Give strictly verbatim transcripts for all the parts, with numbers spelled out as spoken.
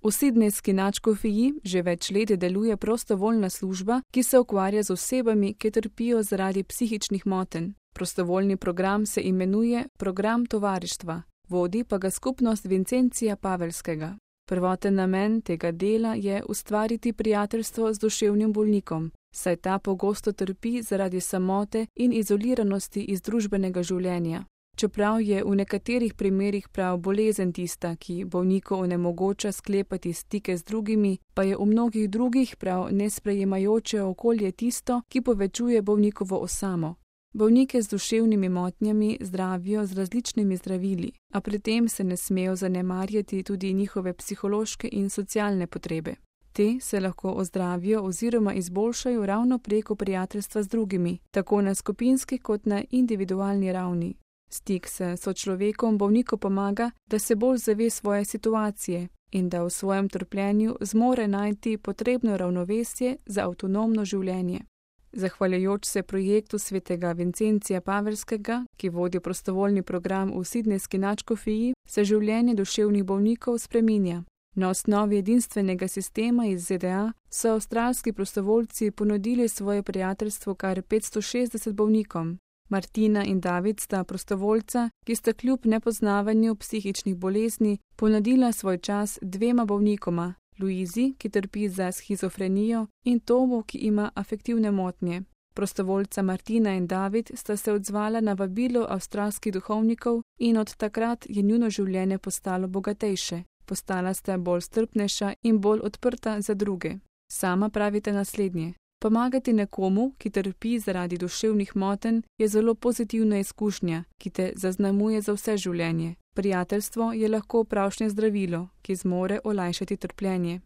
V Sidnejski nadškofiji že več let deluje prostovoljna služba, ki se ukvarja z osebami, ki trpijo zaradi psihičnih motenj. Prostovoljni program se imenuje Program tovarištva, vodi pa ga skupnost Vincencija Pavelskega. Prvoten namen tega dela je ustvariti prijateljstvo z duševnim bolnikom, saj ta pogosto trpi zaradi samote in izoliranosti iz družbenega življenja. Čeprav je v nekaterih primerih prav bolezen tista, ki bolniku onemogoča sklepati stike z drugimi, pa je v mnogih drugih prav nesprejemajoče okolje tisto, ki povečuje bolnikovo osamo. Bolnike z duševnimi motnjami zdravijo z različnimi zdravili, a pri tem se ne smejo zanemarjati tudi njihove psihološke in socialne potrebe. Te se lahko ozdravijo oziroma izboljšajo ravno preko prijateljstva z drugimi, tako na skupinski kot na individualni ravni. Stik s sočlovekom bolniku pomaga, da se bolj zave svoje situacije in da v svojem trpljenju zmore najti potrebno ravnovesje za avtonomno življenje. Zahvaljujoč se projektu svetega Vincencija Pavelskega, ki vodi prostovoljni program v Sidnejski nadškofiji, se življenje duševnih bolnikov spreminja. Na osnovi edinstvenega sistema iz Z D A so avstralski prostovoljci ponudili svoje prijateljstvo kar petsto šestdeset bolnikom. Martina in David sta prostovoljca, ki sta kljub nepoznavanju psihičnih bolezni ponudila svoj čas dvema bolnikoma, Luizi, ki trpi za shizofrenijo, in Tomu, ki ima afektivne motnje. Prostovoljca Martina in David sta se odzvala na vabilo avstralskih duhovnikov in od takrat je njuno življenje postalo bogatejše. Postala sta bolj strpnejša in bolj odprta za druge. Sama pravite naslednje. Pomagati nekomu, ki trpi zaradi duševnih motenj, je zelo pozitivna izkušnja, ki te zaznamuje za vse življenje. Prijateljstvo je lahko pravšnje zdravilo, ki zmore olajšati trpljenje.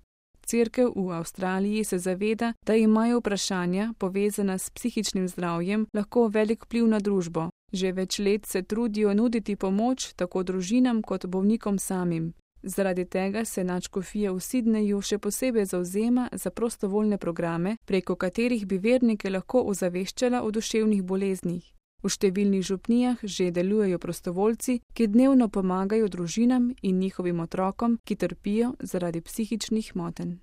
Cerkev v Avstraliji se zaveda, da imajo vprašanja, povezana s psihičnim zdravjem, lahko velik vpliv na družbo. Že več let se trudijo nuditi pomoč tako družinam kot bolnikom samim. Zaradi tega se nadškofija v Sidneju še posebej zavzema za prostovoljne programe, preko katerih bi vernike lahko ozaveščala o duševnih boleznih. V številnih župnijah že delujejo prostovoljci, ki dnevno pomagajo družinam in njihovim otrokom, ki trpijo zaradi psihičnih motenj.